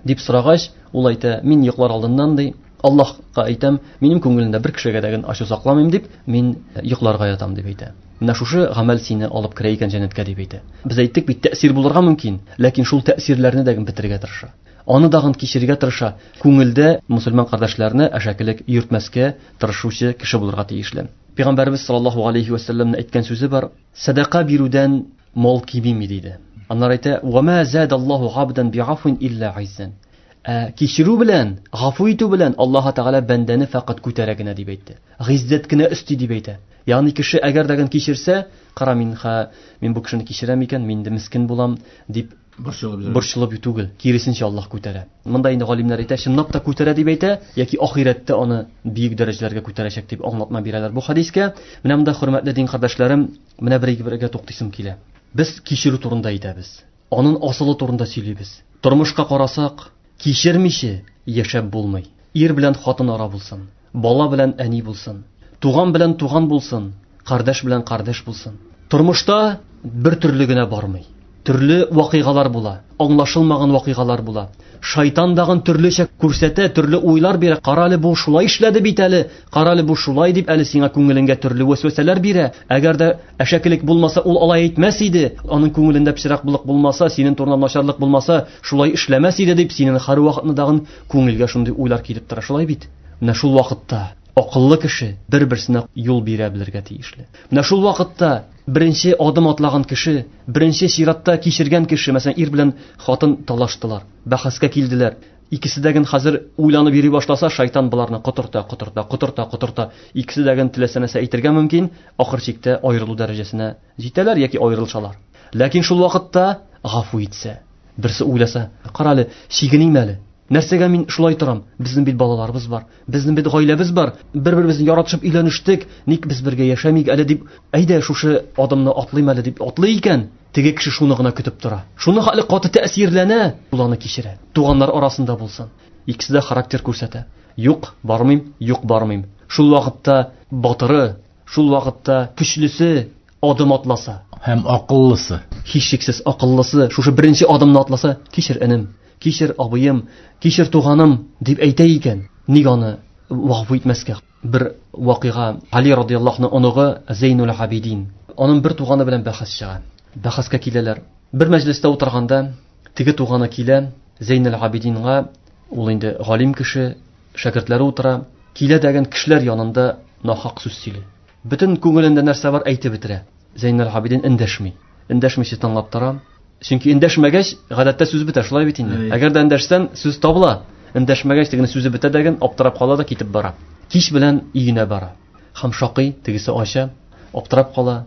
дип сорагач, ул әйтә, мин йоклар алдыннан ди, Аллаһка әйтәм, минем күңелемдә бер кешегә дә ачу сакламыйм дип, мин йокларга ятам дип әйтә. Менә шушы гамәл сине алып керә икән җәннәткә дип әйтә. Без әйттек бит, тәэсир булырга мөмкин, ләкин шул тәэсирләрне дә бетерергә тырыша. Аны дагын кичерергә тырыша. Күңелдә мусульман кардәшләрне әшәкелек йөртмәскә тырышучы кеше булырга тиешле. Пәйгамбәрбез саллаллаһу алейхи ва сәлләмнең әйткән сүзе бар: сәдака бирүдән мал кимеми диде. Аннары әйтә: "Ва ма задаллаһу абдан би'афвин илля иззан." Кичерү белән, гафу итү белән Аллаһ Тәгалә бәндәне фәкать күтәрә генә дип әйтте. Гыйззәт кенә өсти дип әйтә. Ягъни кеше әгәр дә кичерсә, кара мин ха, мин бу кешене кичерәм икән, мин инде мискен булам дип борчылып түгел, киресенчә Аллаһ күтәрә. Монда инде галимнәр әйтә, чынлап та күтәрә дип әйтә, яки ахирәттә аны бөек дәрәҗәләргә күтәрәчәк дип аңлатма бирәләр бу хадискә. Менә монда хөрмәтле дин кардәшләрем, менә бер-бергә туктыйсым килә. Без кичерү турында әйтәбез. Аның асылы турында сөйлибез. Тормышка карасак, кичермичә яшәп булмый. Ир белән хатын ара булсын, бала белән әни булсын, туган белән туган булсын, кардәш белән кардәш булсын. Тормышта бер төрле генә бармый. Төрле вакыйгалар була, аңлашылмаган вакыйгалар була. Шайтан дагын төрлечә күрсәтә, төрле уйлар бирә. Кара әле бу шулай эшләде бит әле, кара әле бу шулай дип әле сиңа күңелеңгә төрле вәсвәсәләр бирә. Әгәр дә әшәкелек булмаса, ул алай әйтмәс иде. Аның күңелендә пычраклык булмаса, синең турында начарлык булмаса, шулай эшләмәс иде дип синең һәр вакытны дагын күңелгә шундый уйлар килеп тора, шулай бит? Менә шул вакытта акыллы кеше бер-берсенә юл бирә белергә тиешле. Менә шул вакытта беренче адым атлаган кеше, беренче чиратта кичергән кеше, мәсәлән, ир белән хатын талаштылар, бәхәскә килделәр. Икесе дә хәзер уйланып йөри башласа, шайтан боларны котырта, котырта, котырта, котырта. Икесе дә теләсә нәрсә әйтергә мөмкин, ахыр чиктә аерылу дәрәҗәсенә җитәләр яки аерылышалар. Ләкин шул вакытта гафу итсә, берсе уйласа, кара әле, чигеним әле. Нәрсәгә мин шулай торам? Безнең бит балаларыбыз бар, безнең бит гаиләбез бар, бер-беребезне яратышып өйләнештек, ник без бергә яшәмик әле дип, әйдә шушы адымны атлыйм әле дип атлый икән, теге кеше шуны гына көтеп тора. Шуны хәле каты тәэсирләнә, ул аны кичерә. Туганнар арасында булсын. Икесе дә характер күрсәтә. Юк, бармыйм, юк, бармыйм. Шул вакытта батыры, шул вакытта көчлесе адым атласа. Һәм акыллысы. Һичшиксез акыллысы шушы беренче адымны атласа, кичер энем, кичер абыем, кичер туганым дип әйтә икән, ник аны гафу итмәскә? Бер вакыйга, Али радыяллаһу анһу оныгы Зейнул Абидин, аның бер туганы белән бәхәс чыга. Бәхәскә киләләр. Бер мәҗлестә утырганда теге туганы килә Зейнул Абидинга, ул инде галим кеше, шәкертләре утыра. Килә дәген кешеләр янында нахак сүз сөйли. Бөтен күңелендә нәрсә бар әйтеп бетерә. Зәйнәл Абидин эндәшми. Эндәшмичә тыңлап тора. Чөнки эндәшмәгәч, гадәттә сүз бетә, шулай бит инде. Әгәр дә эндәшсән, сүз табыла. Эндәшмәгәч, тегене сүзе бетә дәген, аптырап кала да китеп бара. Кич белән өенә бара. Һәм шакый, тегесе ача, аптырап кала,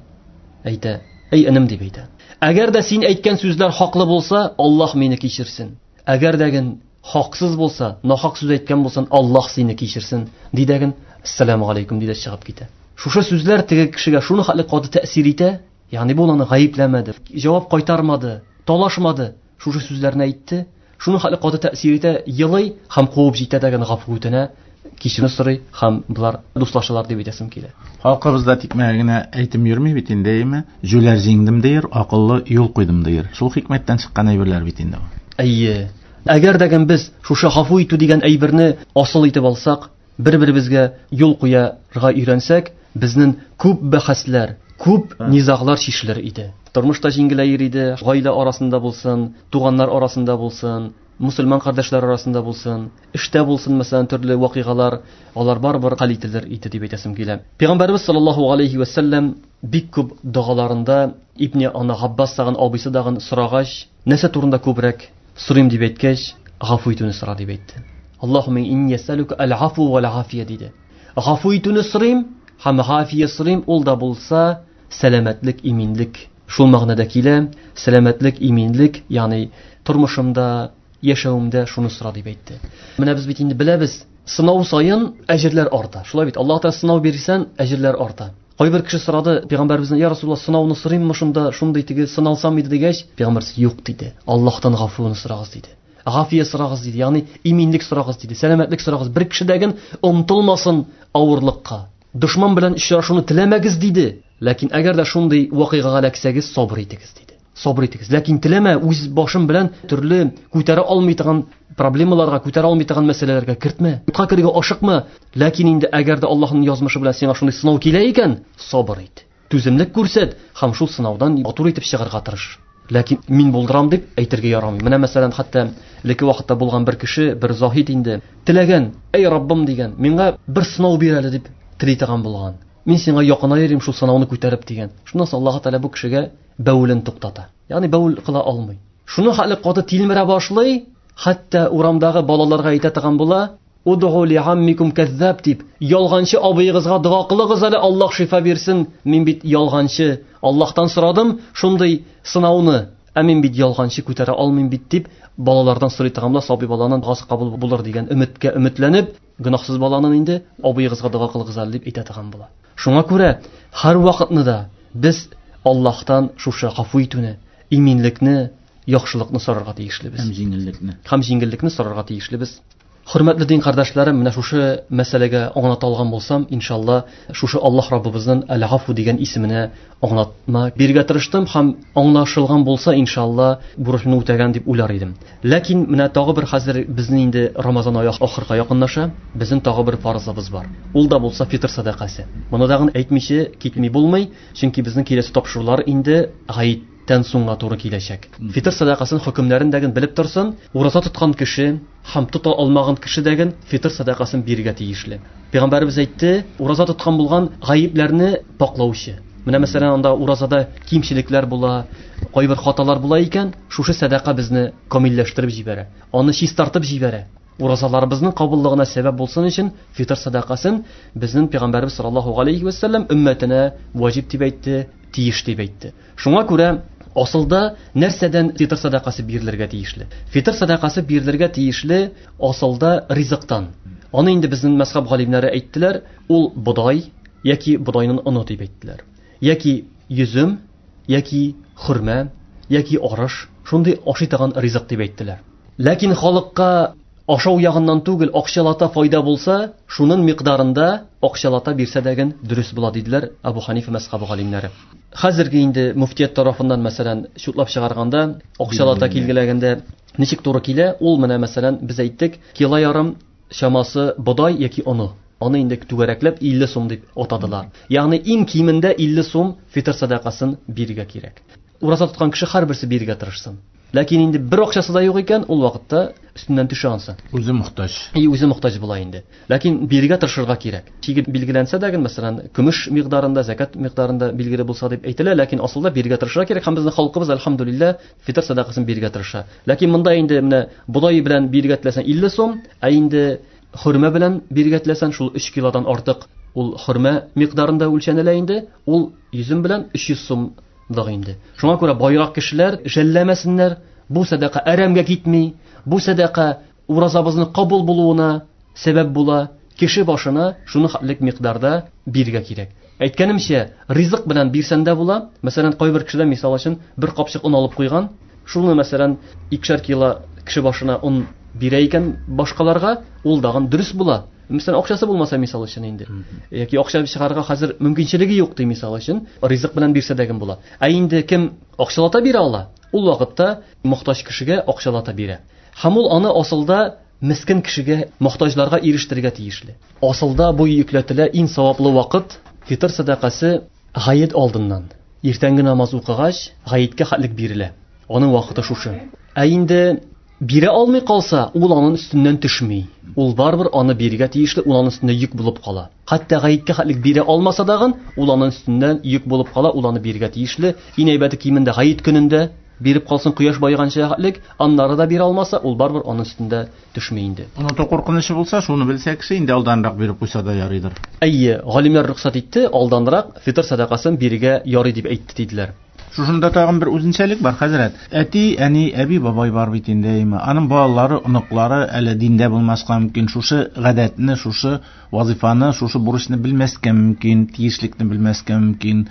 әйтә: "Әй энем", дип әйтә. Әгәр дә син әйткән сүзләр хаклы булса, Аллаһ мине кичерсен. Әгәр дәген хаксыз булса, нахак сүз әйткән булсан, Аллаһ сине кичерсен, ди дәген, "Ассаламу алейкум" ди дә чыгып китә. Шушы сүзләр теге кешегә шуны хәтле каты тәэсир итә, ягъни бу аны гаепләмәде, җавап кайтармады, талашмады, шушы сүзләрне әйтте, шуны хәтле каты тәэсир итә, елый һәм куып җитә дәген гафу үтенә, кичерү сорый һәм болар дуслашалар дип әйтәсем килә. Халкыбызда тикмәгә генә әйтем йөрми бит инде, әйеме? Җүләр җиңдем дияр, акыллы юл куйдым дияр. Шул хикмәттән чыккан әйберләр бит инде бу. Әйе. Әгәр дә без шушы гафу итү дигән әйберне асыл итеп алсак, бер-беребезгә юл куярга өйрәнсәк, безнең күп бәхәсләр, күп низаглар чишелер иде. Тормыш та җиңеләер иде, гаилә арасында булсын, туганнар арасында булсын, мусульман кардәшләр арасында булсын, эштә булсын, мәсәлән, төрле вакыйгалар, алар барыбер хәл ителер иде дип әйтәсем килә. Пәйгамбәрбез саллаллаһу алейхи ва сәлләм бик күп догаларында Ибне ана Габбас тагын абыйсы тагын сорагач, нәрсә турында күбрәк сорыйм дип әйткәч, гафу итүне сора дип әйтте. Аллаһумма инни әсәлүкә әл-афу вәл-афия диде. Гафу итүне сорыйм һәм гафия сорыйм, ул да булса сәламәтлек, иминлек. Шул мәгънәдә килә, сәламәтлек, иминлек, ягъни тормышымда, яшәвемдә шуны сора дип әйтте. Менә без бит инде беләбез, сынау саен әҗерләр арта. Шулай бит, Аллаһ Тәгалә сынау бирсән, әҗерләр арта. Кайбер кеше сорады пәйгамбәребездән: "Я Расулуллаһ, сынауны сорыйммы шунда, шундый теге сыналсам иде" дигәч, пәйгамбәребез: "Юк" диде. Аллаһтан гафуны сорагыз диде. Гафия сорагыз диде, ягъни иминлек сорагыз диде, сәламәтлек сорагыз. Бер кешедәген омтылмасын авырлыкка. Дошман белән очрашуны теләмәгез диде. Ләкин әгәр дә шундый вакыйгага эләксәгез, сабыр итегез диде. Сабыр итегез. Ләкин теләмә үз башым белән төрле күтәрә алмый торган проблемаларга, күтәрә алмый торган мәсьәләләргә кертмә. Утка керергә ашыкма. Ләкин инде әгәр дә Аллаһның язмышы белән сиңа шундый сынау килә икән, сабыр ит. Түземлек күрсәт һәм шул сынаудан матур итеп чыгарга тырыш. Ләкин мин булдырам дип әйтергә ярамый. Менә мәсәлән, хәтта элекке вакытта булган бер кеше, бер заһид инде, теләгән, "Әй Раббым" дигән, "Миңа бер сынау бир әле" дип тели торган булган. Мин сиңа якынаер идем шул сынауны күтәреп дигән. Шуннан соң Аллаһ Тәгалә бу кешегә бәүелен туктата. Ягъни бәүел кыла алмый. Шуны хәле каты тилмерә башлый, хәтта урамдагы балаларга әйтә торган була: "Удгу ли аммикум каззаб" дип, ялганчы абыегызга дога кылыгыз әле, Аллаһ шифа бирсен. Мин бит ялганчы, Аллаһтан сорадым шундый сынауны, ә мин бит ялганчы күтәрә алмыйм бит дип, балалардан сорый торган була, сабый баланың догасы кабул булыр дигән өметкә өметләнеп, гөнаһсыз баланың инде абыегызга дога кылыгыз әле дип әйтә торган була. Шуңа күрә һәр вакытны да без Аллаһтан шушы гафу итүне, иминлекне, яхшылыкны сорарга тиешлебез. Һәм җиңеллекне. Һәм җиңеллекне сорарга тиешлебез. Хөрмәтле дин кардәшләрем, менә шушы мәсьәләгә аңлата алган булсам, иншалла, шушы Аллаһ Раббыбызның Әл-Гафу дигән исеменә аңлатма бирергә тырыштым һәм аңлашылган булса, иншалла, бурычны үтәгән дип уйлар идем. Ләкин менә тагы бер хәзер безнең инде Рамазан ае ахырга якынлаша, безнең тагы бер фарызыбыз бар. Ул да булса фитр сәдакасы. Моны тагын әйтмичә китми булмый, чөнки безнең киләсе тапшырулар инде гает тән соңга туры киләчәк. Фитр сәдакасын хөкемнәрен дәген белеп торсын, ураза тоткан кеше һәм тота алмаган кеше дәген фитр сәдакасын бирергә тиешле. Пәйгамбәребез әйтте, ураза тоткан булган гаепләрне паклаучы. Менә мәсәлән, анда уразада кимчелекләр була, кайбер хаталар була икән, шушы сәдака безне камилләштереп җибәрә, аны чистартып җибәрә. Уразаларыбызның кабуллыгына сәбәп булсын өчен фитр сәдакасын безнең пәйгамбәребез саллаллаһу алейхи ва саллям өммәтенә ваҗиб дип әйтте, тиеш дип әйтте. Шуңа күрә асылда нәрсәдән фитр сәдакасы бирелергә тиешле? Фитр сәдакасы бирелергә тиешле асылда ризыктан. Аны инде безнең мәзхәб галимнәре әйттеләр, ул бодай яки бодайның оны дип әйттеләр. Яки йөзем, яки хөрмә, яки арыш, шундый ашый торган ризык дип әйттеләр. Ләкин халыкка ашау ягыннан түгел, акчалата файда булса, шуның микъдарында акчалата бирсә дәген дөрес була диделәр Абу Ханифа мәзхәбе галимнәре. Хәзерге инде муфтият тарафыннан мәсәлән чутлап чыгарганда, акчалата килгеләгәндә ничек туры килә? Ул менә мәсәлән без әйттек, кило ярым чамасы бодай яки оны. Аны инде түгәрәкләп 50 сум дип атадылар. Ягъни иң кимендә 50 сум фитр сәдакасын бирергә кирәк. Ураза тоткан кеше һәрберсе бирергә тырышсын. Ләкин инде бер акчасы да юк икән, ул вакытта өстеннән төшә ансы. Үзе мохтаҗ. И үзе мохтаҗ була инде. Ләкин бирергә тырышырга кирәк. Чиге билгеләнсә дә, мәсәлән, көмеш микъдарында, закат микъдарында билгеле булса дип әйтелә, ләкин асылда бирергә тырышырга кирәк һәм безнең халкыбыз әлхәмдүлилләһ фитр сәдакасын бирергә тырыша. Ләкин монда инде менә бодай белән бирергә теләсәң 50 сум, ә инде хөрмә белән бирергә теләсәң шул 3 килодан артык ул хөрмә микъдарында үлчәнелә инде, ул йөзем белән 300 сум дагы инде. Шуңа күрә байрак кешеләр жәлләмәсеннәр, бу сәдака әрәмгә китми, бу сәдака уразабызның кабул булуына сәбәп була. Кеше башына шуны хәтлек микъдарда бирергә кирәк. Әйткәнемчә, ризык белән бирсән дә була. Мәсәлән, кайбер кешедә мисал өчен бер капчык он алып куйган. Шуны мәсәлән, 2 кило кеше башына он бирә икән башкаларга, ул дагын дөрес була. Мәсәлән, акчасы булмаса мисал өчен инде. Яки акча чыгарырга хәзер мөмкинчелеге юк ди мисал өчен, ризык белән бирсә дә була. Ә инде кем акчалата бирә ала, ул вакытта мохтаҗ кешегә акчалата бирә. Һәм ул аны асылда мискен кешегә, мохтаҗларга ирештерергә тиешле. Асылда бу йөкләтелә иң саваплы вакыт фитр сәдакасы гает алдыннан. Иртәнге намаз укыгач, гаеткә хәтлек бирелә. Аның вакыты шушы. Ә инде бирә алмый калса, ул аның өстеннән төшми. Ул барыбер аны бирергә тиешле, ул аның өстендә йөк булып кала. Хәтта гаеткә хәтлек бирә алмаса дагын, ул аның өстеннән йөк булып кала, ул аны бирергә тиешле. Иң әйбәте кимендә гает көнендә биреп калсын кояш байыганча хәтлек, аннары да бирә алмаса, ул барыбер аның өстендә төшми инде. Оныту куркынычы булса, шуны белсә кеше инде алданрак биреп куйса да ярыйдыр. Әйе, галимнәр рөхсәт итте, алданрак фитр сәдакасын бирергә ярый дип әйтте диделәр. Шушында тагын бер үзенчәлек бар, хәзрәт. Әти, әни, әби, бабай бар бит инде, әйме. Аның балалары, оныклары әле диндә булмаска мөмкин. Шушы гадәтне, шушы вазифаны, шушы бурычны белмәскә мөмкин, тиешлекне белмәскә мөмкин.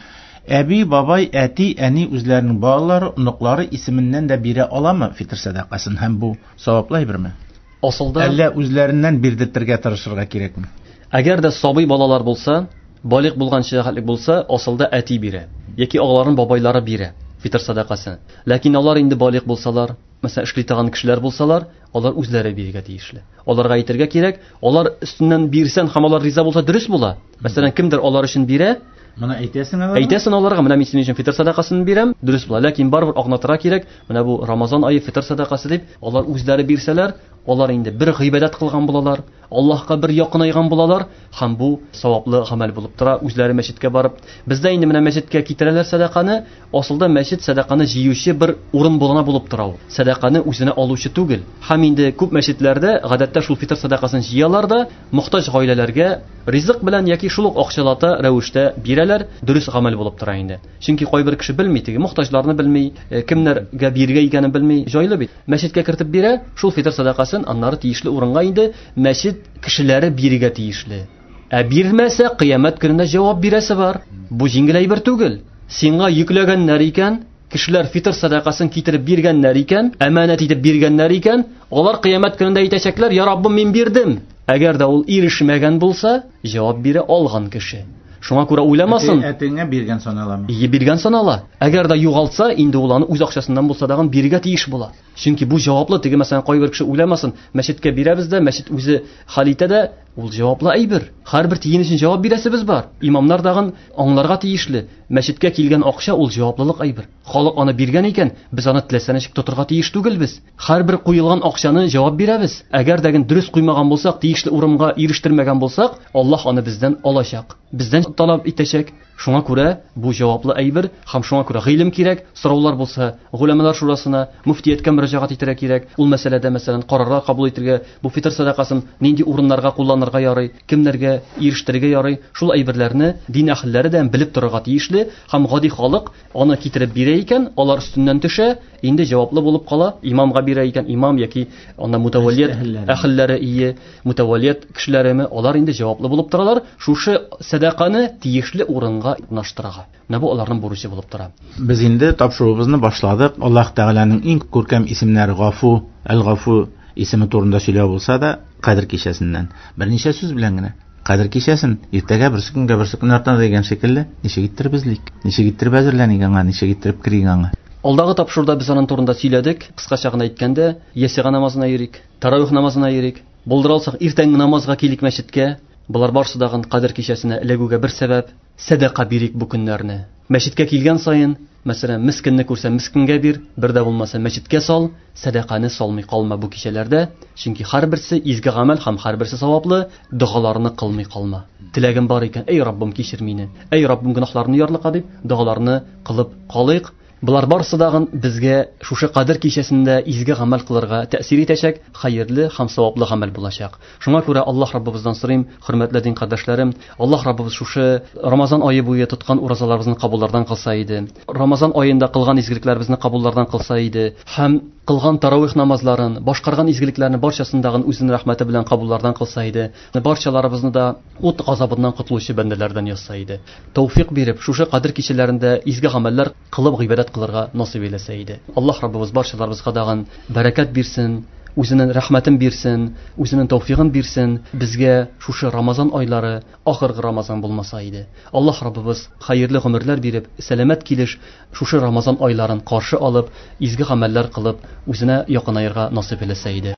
Әби, бабай, әти, әни үзләренең балалары, оныклары исеменнән дә бирә аламы фитр сәдакасын һәм бу саваплы әйберме? Асылда әллә үзләреннән бирдертергә тырышырга кирәкме? Әгәр дә сабый балалар булса, балигъ булганча хәтлек булса, асылда әти бирә яки аларның бабайлары бирә фитр сәдакасын. Ләкин алар инде балигъ булсалар, мәсәлән, эшли торган кешеләр булсалар, алар үзләре бирергә тиешле. Аларга әйтергә кирәк, алар өстеннән бирсән һәм алар риза булса дөрес була. Мәсәлән, кемдер алар өчен бирә, Моны әйтәсең аларга? Әйтәсең аларга, менә мин синең өчен фитр сәдакасын бирәм, дөрес була. Ләкин барыбер аңлатырга кирәк, менә бу Рамазан ае фитр сәдакасы дип, алар үзләре бирсәләр, алар инде бер гыйбадәт кылган булалар, Аллаһка бер якынайган булалар һәм бу саваплы гамәл булып тора. Үзләре мәчеткә барып, бездә инде менә мәчеткә китерәләр сәдаканы, асылда мәчет сәдаканы җыючы бер урын булана булып тора ул. Сәдаканы үзенә алучы түгел. Һәм инде күп мәчетләрдә гадәттә шул фитр сәдакасын җыялар да, мохтаҗ гаиләләргә ризык белән яки шул ук акчалата рәвештә бирәләр, дөрес гамәл булып тора инде. Чөнки кайбер кеше белми, теге мохтаҗларны белми, кемнәргә бирергә икәнен белми, җайлы бит. Мәчеткә кертеп бирә, шул фитр сәдакасын аннары тиешле урынга инде мәчет кешеләре бирергә тиешле. Ә бирмәсә, кыямәт көнендә җавап бирәсе бар. Бу җиңел әйбер түгел. Сиңа йөкләгәннәр икән, кешеләр фитр сәдакасын китереп биргәннәр икән, әманәт итеп биргәннәр икән, алар кыямәт көнендә әйтәчәкләр: "Я Раббым, мин бирдем." Әгәр дә ул ирешмәгән булса, җавап бирә алган кеше. Шуңа күрә уйламасын. Әтиңә биргән саналамы? Ие, биргән санала. Әгәр дә югалтса, инде ул аны үз акчасыннан булса дагын бирергә тиеш була. Чөнки бу җаваплы, теге мәсәлән, кайбер кеше уйламасын, мәчеткә бирәбез дә, мәчет үзе хәл итә дә, ул җаваплы әйбер. Һәрбер тиен өчен җавап бирәсебез бар. Имамнар дагын аңларга тиешле. Мәчеткә килгән акча ул җаваплылык әйбер. Халык аны биргән икән, без аны теләсә ничек тотырга тиеш түгелбез. Һәрбер куелган акчаны җавап бирәбез. Әгәр дә дөрес куймаган булсак, тиешле урынга ирештермәгән булсак, Аллаһ аны бездән алачак. Бездән таләп итәчәк. Шуңа күрә бу җаваплы әйбер һәм шуңа күрә гыйлем кирәк. Сораулар булса, голямалар шурасына, мөфтияткә мөрәҗәгать итәргә кирәк. Ул мәсьәләдә, мәсәлән, карарлар кабул итәргә, бу фитр сәдакасын нинди урыннарга кулланырга ярый, кемнәргә ирештерергә ярый, шул әйберләрне дин әһелләре дә белеп торырга тиешле һәм гади халык аны китереп бирә икән, алар өстеннән төшә, инде җаваплы булып кала. Имамга бирә икән, имам яки анда мутаваллият әһелләре ие, мутаваллият кешеләреме, алар инде җаваплы булып торалар. Шушы сәдаканы тиешле урынга урнаштырырга. Менә бу аларның бурычы булып тора. Без инде тапшыруыбызны башладык. Аллаһ Тәгаләнең иң күркәм исемнәре Гафу, Әл-Гафу исеме турында сөйләү булса да, Кадер кичәсеннән берничә сүз белән генә. Кадер кичәсен иртәгә берсе көнгә берсе көн артына дигән шикелле, ничек иттереп эзлик, ничек иттереп әзерләник аңа, ничек иттереп керик аңа. Алдагы тапшыруда без аның турында сөйләдек. Кыскача гына әйткәндә, ясига намазына йөрик, таравих намазына йөрик. Булдыра алсак, иртәнге намазга килик мәчеткә. Болар барысы дагын Кадер кичәсенә эләгүгә бер сәбәп. Сәдака бирик бу көннәрне. Мәчеткә килгән саен, мәсәлән, мескенне күрсәң, мескенгә бир, бер дә булмаса мәчеткә сал, сәдаканы салмый калма бу кичәләрдә, чөнки һәрберсе изге гамәл һәм һәрберсе саваплы, догаларны кылмый калма. Теләгем бар икән, эй Раббым, кичер мине, эй Раббым, гөнаһларны ярлыка дип, догаларны кылып калыйк. Болар барысы дагын безгә шушы Кадер кичәсендә изге гамәл кылырга тәэсир итәчәк, хәерле һәм саваплы гамәл булачак. Шуңа күрә Аллаһ Раббыбыздан сорыйм, хөрмәтле дин кардәшләрем, Аллаһ Раббыбыз шушы Рамазан ае буе тоткан уразаларыбызны кабуллардан кылса иде. Рамазан аенда кылган изгелекләребезне кабуллардан кылса иде һәм кылган таравих намазларын, башкарган изгелекләрне барчасын дагын үзенең рәхмәте белән кабуллардан кылса иде. Барчаларыбызны да ут газабыннан котылучы бәндәләрдән язса иде. Тәүфик биреп, шушы Кадер кичәләрендә изге гамәлләр кылып гыйбадәт кылырга насыйп әйләсә иде. Аллаһ Раббыбыз барчаларыбызга дагын бәрәкәт бирсен, үзенең рәхмәтен бирсен, үзенең тәүфигын бирсен, безгә шушы Рамазан айлары ахыргы Рамазан булмаса иде. Аллаһ Раббыбыз хәерле гомерләр биреп, сәламәт килеш шушы Рамазан айларын каршы алып, изге гамәлләр кылып, үзенә якынаерга насыйп әйләсә иде.